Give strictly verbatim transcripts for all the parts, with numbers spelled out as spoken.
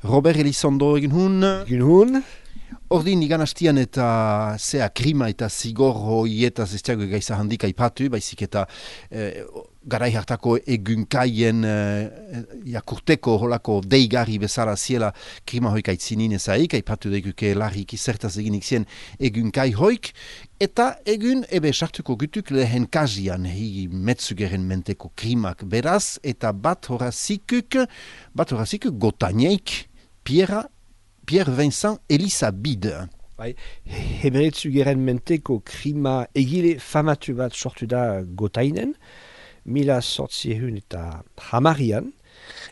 Robert Elizondo egin hun. Egin hun. Ordin igan hastian eta zea krima eta zigor hoietaz ez tiago gaiza handik aipatu, baizik eta eh, garai hartako egunkaien eh, jakurteko holako deigarri bezala ziela krima hoik aitzinin ezaik, aipatu deguke larrik izertaz eginik zien egunkai hoik, eta egun ebe sartuko gutuk lehen kazian hi metzugeren menteko krimak beraz, eta bat horazikuk, bat horazikuk gotaneik, Pierre Pierre Vincent Elisabide. Bai, hemeretzu geren menteko krima egile famatu bat sortu da Gotainen, mila sortziehun eta hamarian,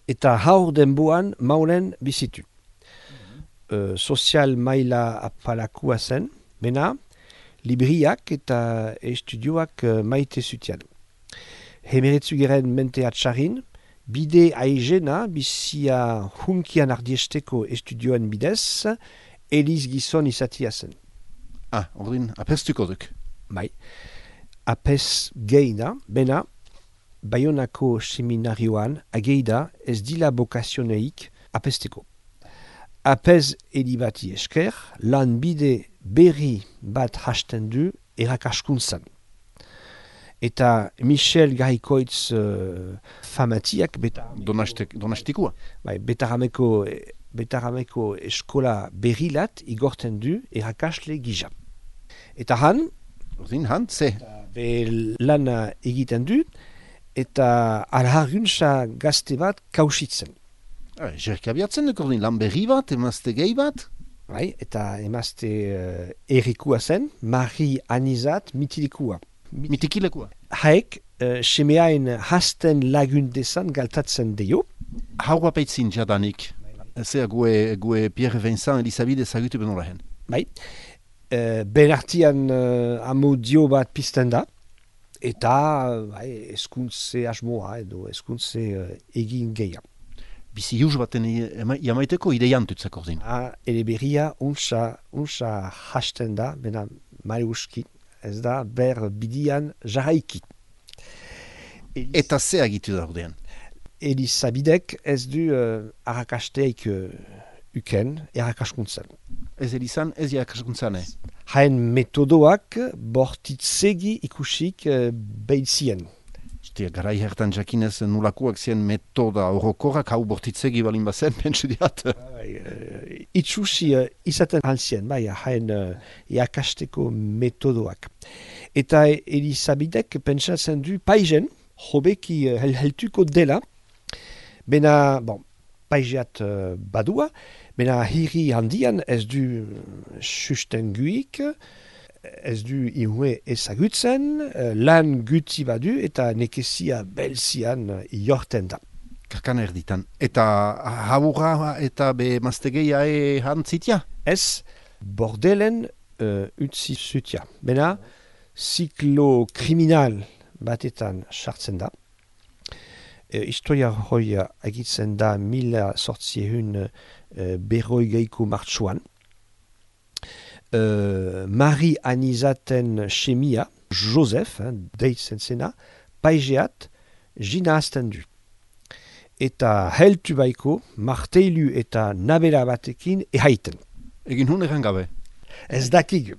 eta haur denboan maulen bizitu. Mm-hmm. Uh, sozial maila apalakua zen, bena, libriak eta estudioak uh, maite zutian. Hemeretzu geren mente atxarin, bide aigena, bizia hunkian ardiesteko estudioen bidez, Eliz gizon izatia zen. Ah, ordin, apestuko duk. Bai. Apes geina, bena, Bayonako seminarioan, ageida ez dila bokazioneik apesteko. Apes elibati esker, lan bide berri bat hasten du erakaskuntzan. Eta Michel Garikoitz uh, famatiak beta... Donastikua. Bai, betarameko, betarameko eskola berrilat igorten du erakasle gisa. Eta han... Ordin, han, ze? Be lana egiten du, eta alharguntza gazte bat kausitzen. Ah, Jerka biatzen duk ordin, lan berri bat, emazte gehi bat? Bai, eta emazte uh, erikua zen, Marie Anizat mitilikua. Mitikilekua. Haek, uh, semeain hasten lagundezan galtatzen dio. Haua peitzin jadanik. Zea gue, gue Pierre Vincent Elisabide zagutu beno lahen. Bai. Uh, ben artian uh, amodio bat pizten da. Eta bai, eskuntze asmoa edo eskuntze uh, egin geia. Bizi juz baten jamaiteko ideiantutzak ordin. Ah, ele berria unsa, unsa hasten da, bena mariuski. Ez da, ber bidian jarraiki. Elis... Eta ze agitu da ordean? Elisabidek ez du uh, arrakasteik uh, uken errakaskuntzan. Ez elizan, ez errakaskuntzan, eh? Haen metodoak bortitzegi ikusik uh, behitzien. Ostia, garai hertan jakinez nulakoak zien metoda orokorrak hau bortitzegi balin bazen, pentsu diat. Uh, itxusi uh, izaten hantzien, bai, haen uh, eakasteko metodoak. Eta Elisabidek pentsatzen du paizen, hobeki uh, heltuko dela, bena, bon, paizeat uh, badua, bena hiri handian ez du sustenguik, ez du ihue ezagutzen, lan guti badu eta nekezia belzian iorten da. Karkan erditan. Eta haburra eta be maztegeia e hantzitia? Ez, bordelen uh, utzi zutia. Bena, ziklo kriminal batetan sartzen da. E, historia hoia agitzen da mila sortziehun uh, berroi geiko martxuan. Uh, Marie Anizaten chemia, Joseph, hein, deitzen zena, paizeat, jina hasten du. Eta heltu baiko, marteilu eta nabela batekin ehaiten. Egin hun egan gabe? Ez dakik.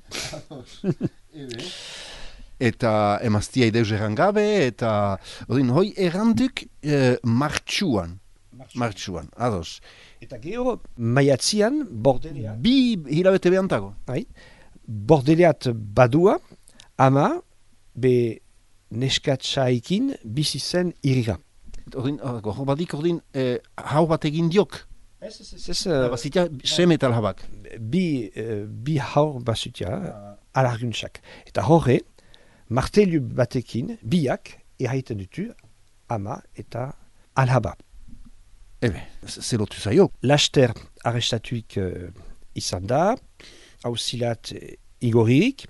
Eta emaztia ideuz egan gabe, eta odin, hoi erranduk eh, martxuan. Martxuan, ados. Eta gero, maiatzian, bordeleat. Bi hilabete behantago. Bai, bordeleat badua, ama, be neskatzaikin bizi zen irira. Ordin, hor badik ordin, eh, hau bat egin diok. Ez, ez, ez, ez. Uh, Bazitia, sem eta alhabak. Bi, uh, bi haur basutia, uh, alarguntxak. Eta horre, martelu batekin, biak, erraiten dutu, ama eta alhaba. Ebe, zelotu zaio. Laster arrestatuik uh, izan da, hauzilat uh, igoririk,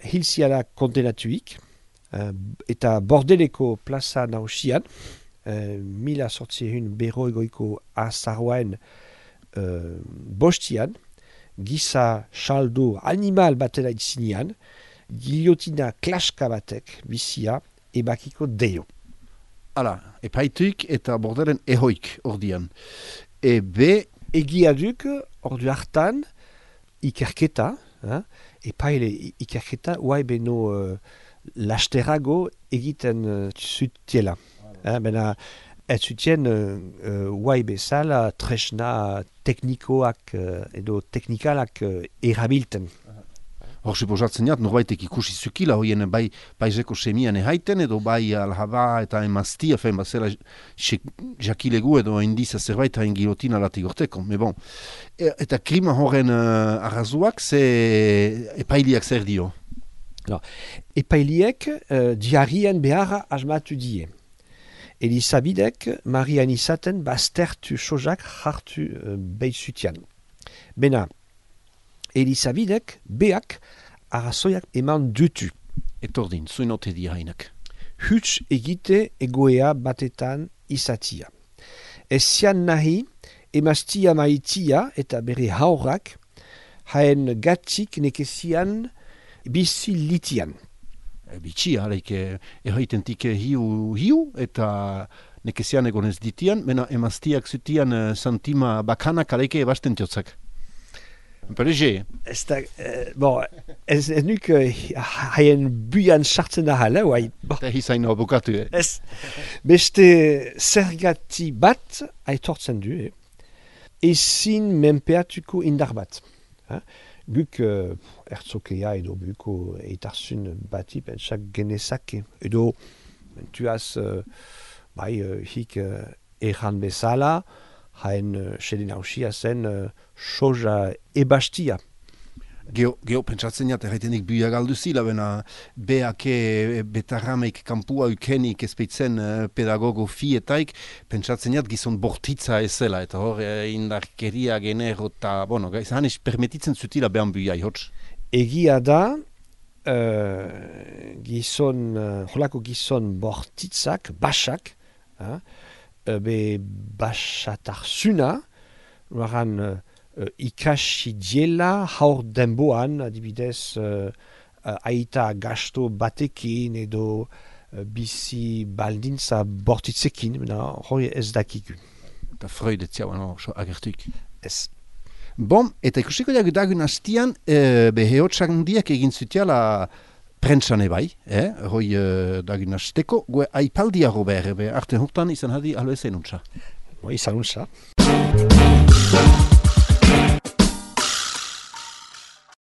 hilziala kondenatuik, uh, eta bordeleko plaza nausian, uh, mila sortziehun berroigoiko azaroen uh, bostian, giza saldo animal batela itzinean, giliotina klaska batek bizia ebakiko deio. Hala, epaituik eta bordelen ehoik ordian. ebe... Egia duk, ordu hartan, ikerketa, eh? epaile ikerketa, uai beno uh, lasterago egiten uh, zutiela. Eh? Bena, ez zutien uh, uh, uai bezala tresna teknikoak uh, edo teknikalak uh, erabilten. Hor, suposatzen jat, norbaitek ikusi zukila, hoien bai paizeko semian ehaiten, edo bai alhaba eta emaztia, fein bazela jakilegu edo indiza zerbait hain gilotina latik gorteko. Me bon, e, eta klima horren uh, arrazuak, ze epailiak zer dio? No. Epailiek uh, diarien beharra asmatu die. Elisabidek Marian izaten baztertu sojak hartu uh, behizutian. Bena, Elisabidek beak arrazoiak eman dutu. Etordin, zuin ote di hainak. Huts egite egoea batetan izatia. Ezian nahi emaztia maitia eta bere haurrak haen gatzik nekezian bizi litian. E, bitxia, alaik erraitentik hiu hiu eta nekezian egonez ditian, mena emaztiak zutian uh, santima bakanak alaike ebasten tiotzak. Perege. Ez da, eh, bon, ez, ez nuk haien buian sartzen da hala, uai. Eta hizaino abokatu, eh? Ez, beste zergati bat aitortzen du, eh? Ezin menpeatuko indar bat. Eh? Guk uh, ertzokea edo buko eitarzun bati pentsak genezake. Edo, mentuaz, uh, bai, uh, hik uh, erran bezala, hain uh, xedin hausia zen uh, soja ebastia. Geo, geo pentsatzen jat, erraitenik buia galdu zila, bena beake betarrameik kampua ukenik ezpeitzen uh, pedagogo fietaik, pentsatzen jat gizon bortitza ezela, eta hor uh, indarkeria genero eta, bueno, izan ez permetitzen zutila behan buia ihotz. Egia da, uh, gizon, uh, holako gizon bortitzak, basak, uh, be basatarzuna, loran uh, ikasi diela haur denboan, adibidez uh, uh, aita gasto batekin edo uh, bizi baldintza bortitzekin, hori ez dakiku. Eta Freud etzia, bueno, so agertuik. Ez. Bon, eta ikusiko diak dagun hastian, e, beheotsak diak egin zutiala prentsan ebai, eh? Hoi e, dagun hasteko, gue aipaldia Robert, be arte hortan izan hadi alo ezen untsa. Izan untsa.